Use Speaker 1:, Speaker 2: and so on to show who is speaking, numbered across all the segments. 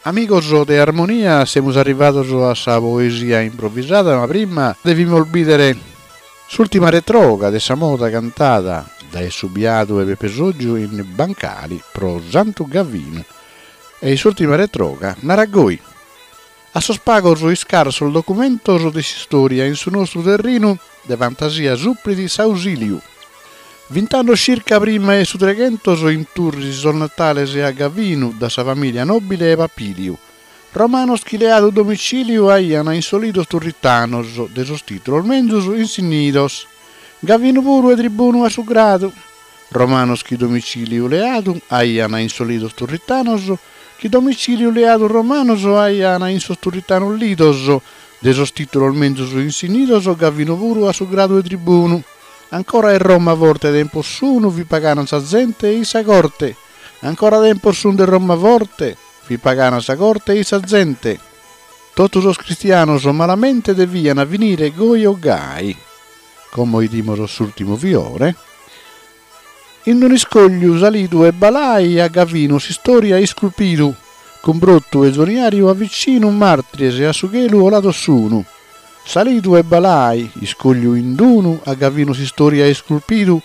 Speaker 1: Amigos de Armonia, semus arrivados a sa poesia improvisada, ma prima devimus bìdere s'ùrtima retroga de sa moda cantada dae su biadu 'e Pepe Soggiu in Bancali pro Santu Gavinu. E s'ùrtima retroga narat goi. A sos pagos iscarsos documentos de s'istòria in su nostru terrinu de fantasia suprit s'ausìliu. Vint'annos circa prima 'e su treghentos in Turris sos natales a Gavinu da sa famìlia nòbile 'e Papìliu. Romanos chi leadu domicìliu aian in sos lidos turritanos de sos tìtulos menzus insinnidos. Gavinu puru 'e tribunu a su gradu. Romanos chi domicìliu leadu aian in sos lidos turritanos chi domicìliu leadu romanos aian in sos turritanos lidos de sos tìtulos menzus insinnidos Gavinu puru a su gradu 'e tribunu. Ancora 'e Roma forte tempos sunu fit pagana sa zente e-i sa corte. Ancora tempos sun de Roma forte fit pagana sa corte e-i sa zente. Totu sos cristianos malamente devian finire goi o gai. Como 'idimos s'ùrtimu fiore. In un'iscogliu salidu 'e Balai a Gavinu s'istoria isculpidu, cun Brottu e Zoniariu a vicinu martires a su chelu 'olados sunu. Salidu 'e Balai, iscogliu in d'unu, a Gavinu s'istoria isculpidu,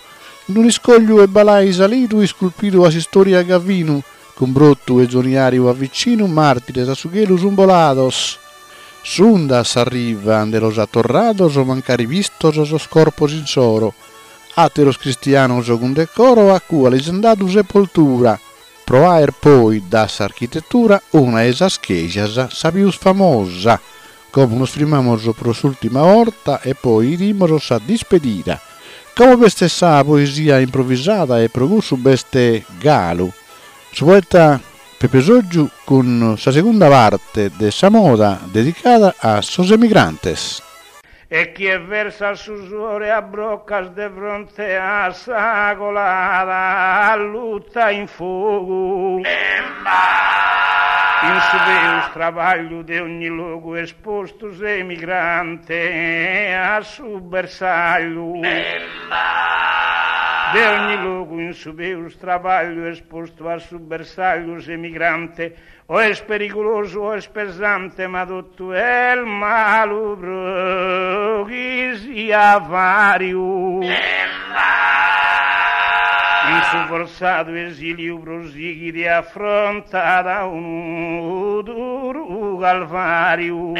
Speaker 1: in un'iscogliu 'e Balai salidu isculpidu a s'istoria Gavinu, cun Brottu e Zoniariu a vicinu martires a su chelu sun bolados. S'unda a sa riva nde los at torrados mancari vistos sos corpos insoro. Àteros cristianos cun decoro a cua lis an dadu sepoltura, pro aer poi da s'architetura una 'e sas chejas sa pius famosa. Como nos frimmamos pro s'ùltima 'orta e poi 'idimos sa dispedida. Como b'est sa poesia improvisada e pro cussu b'est galu su poeta Pepe Soggiu cun sa segunda parte de sa moda dedicada a sos emigrantes.
Speaker 2: E chie versat su suore a broccas de fronte a sa colada allutta in fogu. In su peus trabagliu de ogni logu espostu s'emigrante a su bersagliu. De ogni logu in su peus trabagliu espostu a su bersagliu s'emigrante O est perigulosu o est pesante ma totu est malu pro chi siat variu. In su fortzadu esiliu prosighit e afrontat unu duru calvariu.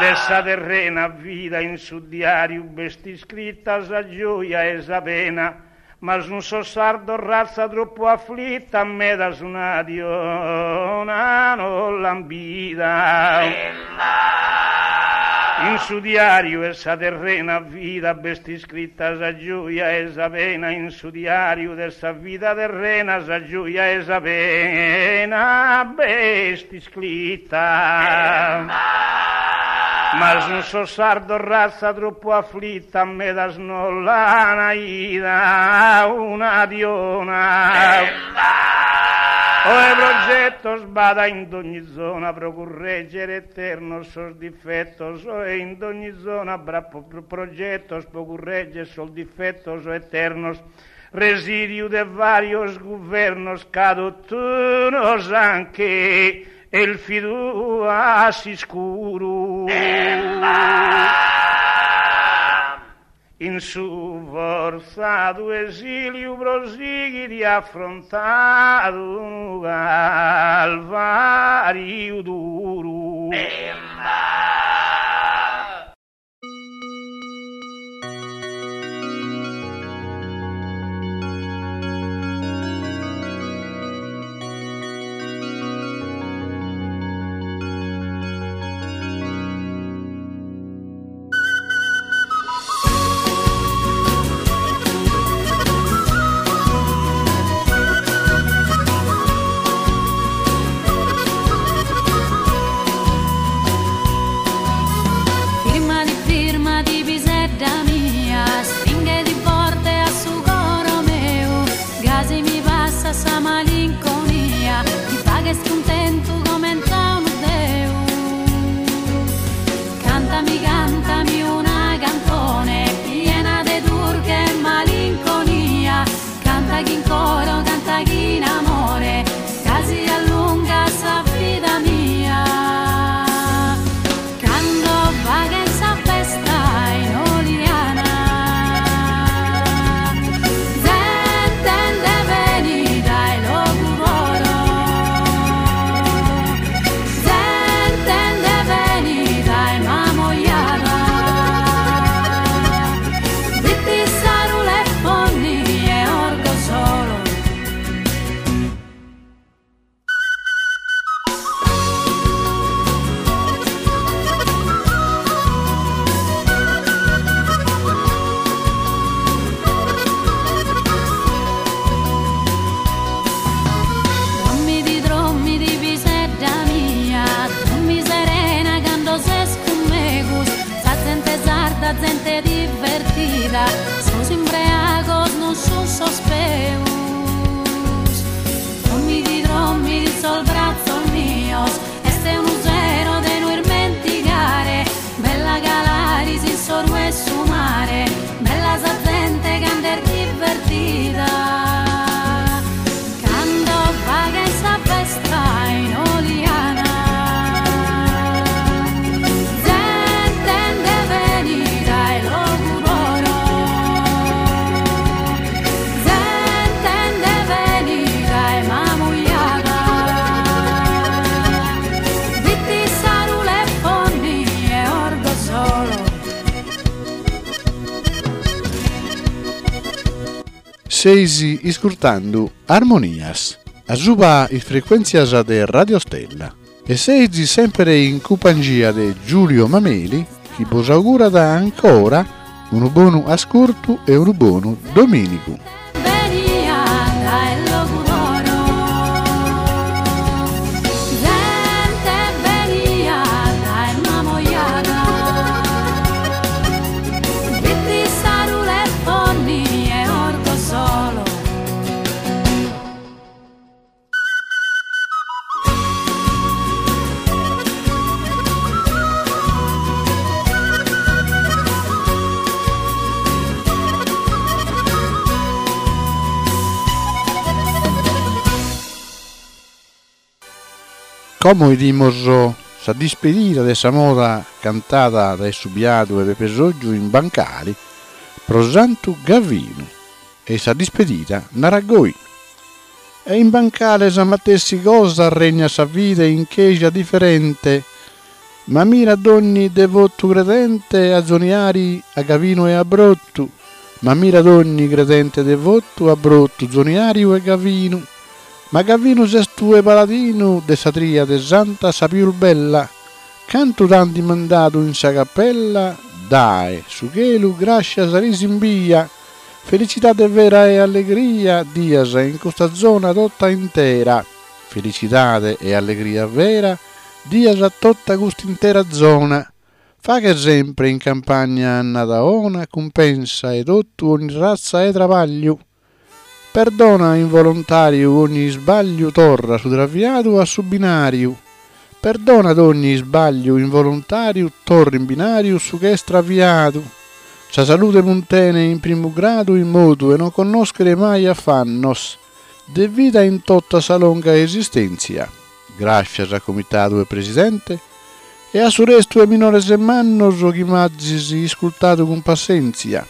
Speaker 2: De sa terrena vida in su diariu b'est iscrita sa gioia e sa pena. Ma sun sos sardos ratza tropu aflita medas una die 'ona no l'an bida. In su diariu 'e sa terrena vida b'est iscrita sa gioia e sa pena in su diariu de sa vida terrena sa gioia e sa pena b'est iscrita. Ma sun sos sardos ratza tropu aflita medas no l'ana 'ida una die 'ona. Oe progetos b'at in dogni zona pro curreggere eternos sos difetos oe in dogni zona b'at progetos pro curreggere sos difetos eternos Residiu de varios guvernos ca totu nos an chelfidu a s'iscuru. In su fortzadu esiliu prosighit e afrontat unu calvariu duru.
Speaker 3: zente divertida, sos imbreagos non sun sos peus. Drommidi drommidi sos brazzos mios, est unu sero de no irmentigare, bella Calaris in s'oru 'e su mare, bella sa zente cando est divertida. Cando faghen sa festa in Oliana. Zente nde benit dae Logudoro. Zente nde benit dae Mamujada. Bitti Sarule Fonni e Orgosolo.
Speaker 1: Seis iscurtando Armonias, asuba is frequentzias de Radio Stella e seis sempre in cumpangia de Giulio Mameli chi bos augurat ancora unu bonu ascurtu e unu bonu domìnigu. Como 'idimos sa dispedida de sa moda cantada dae su biadu 'e Pepe Soggiu in Bancali pro Santu Gavinu e sa dispedida narat goi. E in Bancale sa matessi cosa regnat sa fide in cheja diferente ma mira dogni devotu credente a zoniare a Gavinu e a Brotu ma mira dogni credente devotu a Brotu Zoniariu e Gavinu Ma Gavinu ses tue paladinu de sa triade santa sa pius bella, cantu t'ant mandadu in sa capella dae su chelu grascias lis imbia, felicidade vera e allegria dias in custa zona tota intera, felicidade e allegria vera dias a tota cust'intera zona. Faghe sempre in campagna annada 'ona cumpensa 'e totu ogni razza 'e trabagliu. Perdona involontariu ogni isbagliu torra su traviadu a su binariu Perdona dogni isbagliu involontariu torra in binariu su ch'est traviadu Sa salude muntene in primu gradu in modu 'e non connoschere mai affannos de vida in tota sa longa esistenzia Grascias a comitadu e presidente e a su restu 'e minores e mannos chi m'azis iscultadu cun passenzia.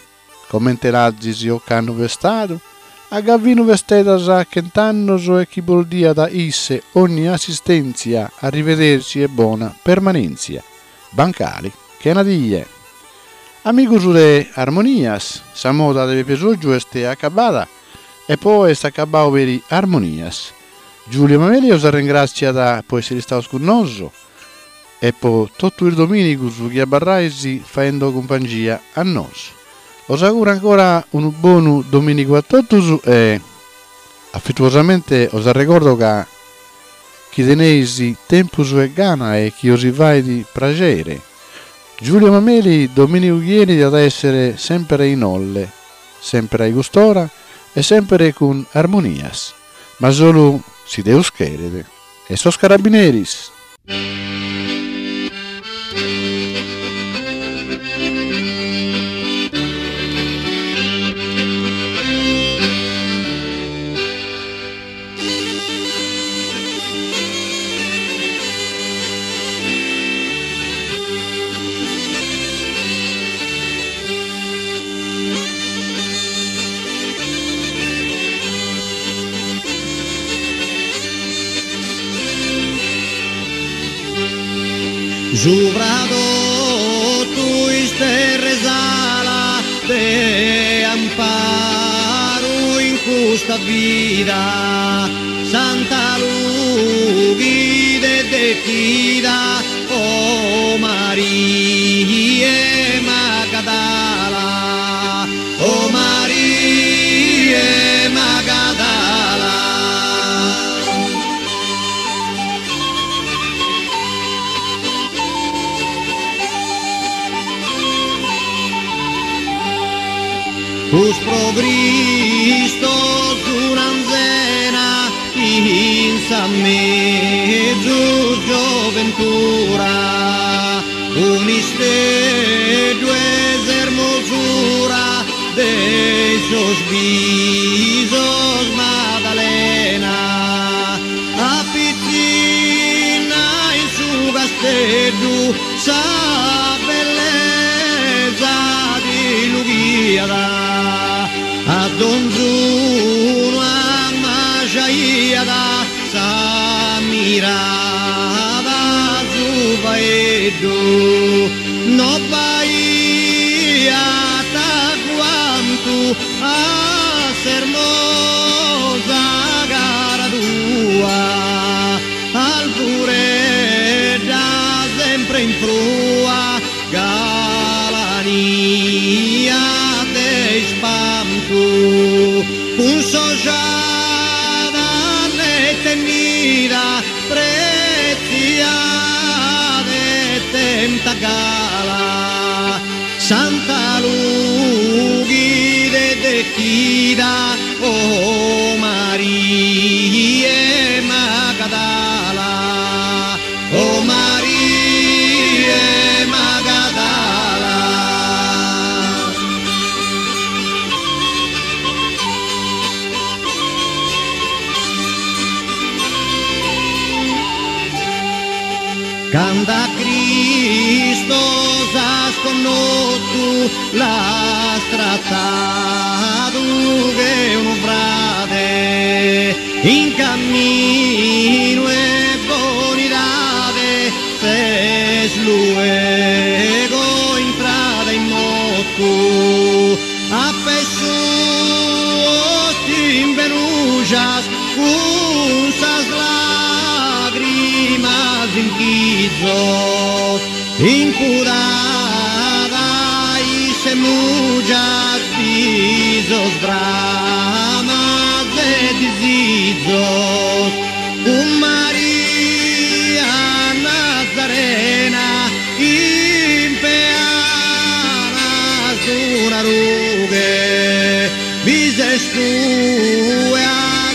Speaker 1: Comente l'azis ocannu festadu, a Gavinu festedas a chent'annos e chi bos diat isse ogni assistèntzia arrivederci e bona permanèntzia. Bancali chena die. Amigos de Armonias, sa moda de Pepe Soggiu est acabada e po oe est acabadu peri Armonias. Giulio Mameli 'os arrengràtziat po èssere istados cun nosu e po totu is domìnigus chi abarrais faendo cumpangia a nosu. Os auguro ancora unu bonu domìnigu a totus e afetuosamente os arregordo ca chi teneis tempus e gana e chi os fait praxere, Giulio Mameli domìnigu chi 'enit at a èssere sèmpere in Olle, sèmpere a cust'ora e sèmpere cun Armonias, ma solu si Deus cheret. E sos carabineris.
Speaker 4: Subra totu is terras ala de amparu in custa vida Santa Lughide dechida o Maria Magadala o Maria Magadala. Cristos un'anzena in sa mezus gioventura, un'isteddu 'e s'ermosura de sos bisos Madalena. A pitzinna in su casteddu sa bellesa ti lughiat, a donzunu ammajaiat sa mirada su faeddu no b'aiat agguantu a s'ermosa cara tua Alvuredda sempre in prua galania de ispantu cun s'ojada neta e nida pretziada e tenta gala Santa Lughide dechida oh Maria 'e Magadala oh Maria 'e Magadala. Cand'a Cristos as connotu l'as tratadu che unu frade in camminu 'e bonidade ses luego intrada in motu a pes suos t'imbenujas cun sas lagrimas in chizos Incudada a isse mujas bisos bramas e disizos cun Maria Nazarena in peanas d'una rughe bi ses tue a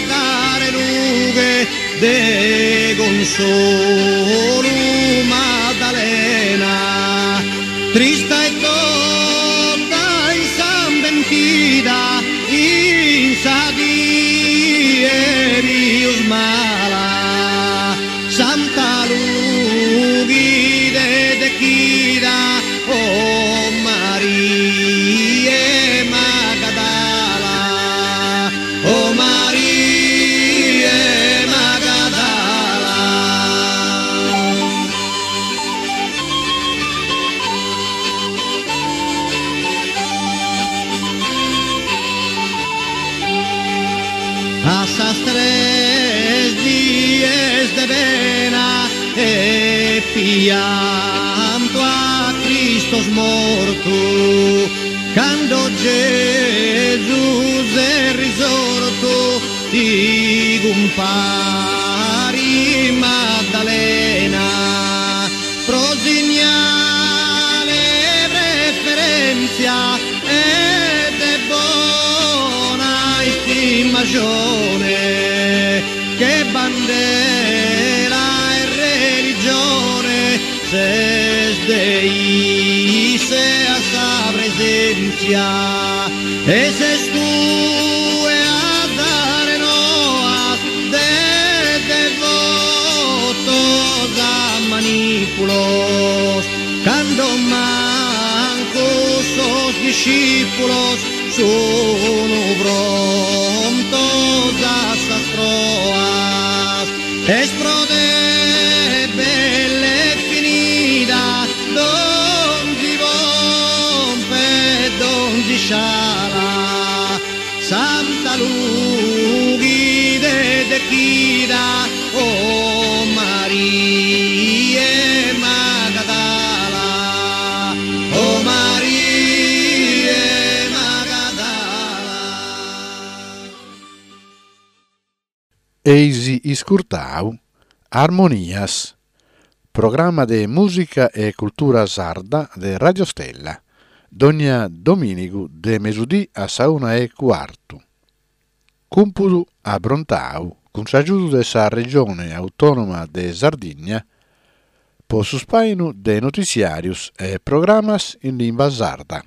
Speaker 4: dare lughe de consolu Madalena trista e tota insambentida in sa die pius mala Santa Lughide dechida oh Maria 'e Magadala oh Maria 'e Magadala. A sas tres dies de pena e piantu a Cristos mortu Cando Gesus est risortu ti cumparit Maddalena pro signale 'e preferentzia e de bona istimascione che bandera 'e religione Ses de isse a sa presenzia e ses tue a dare noas de devotos a manipulos cando mancu sos discipulos sunu prontos a sas proas. Est pro te bell'e finida donzi pompa e donzi isciala Santa Lughide dechida oh Maria 'e Magadala oh Maria 'e Magadala.
Speaker 1: Eis iscurtau Armonias, programma de mùsica e cultura sarda de Radio Stella. Dogna domìnigu de mesudì a sa una e cuartu. Cumpudu aprontau cun s'agiudu de sa Regione Autònoma de Sardigna po su spàinu de notiziàrius e programas in limba sarda.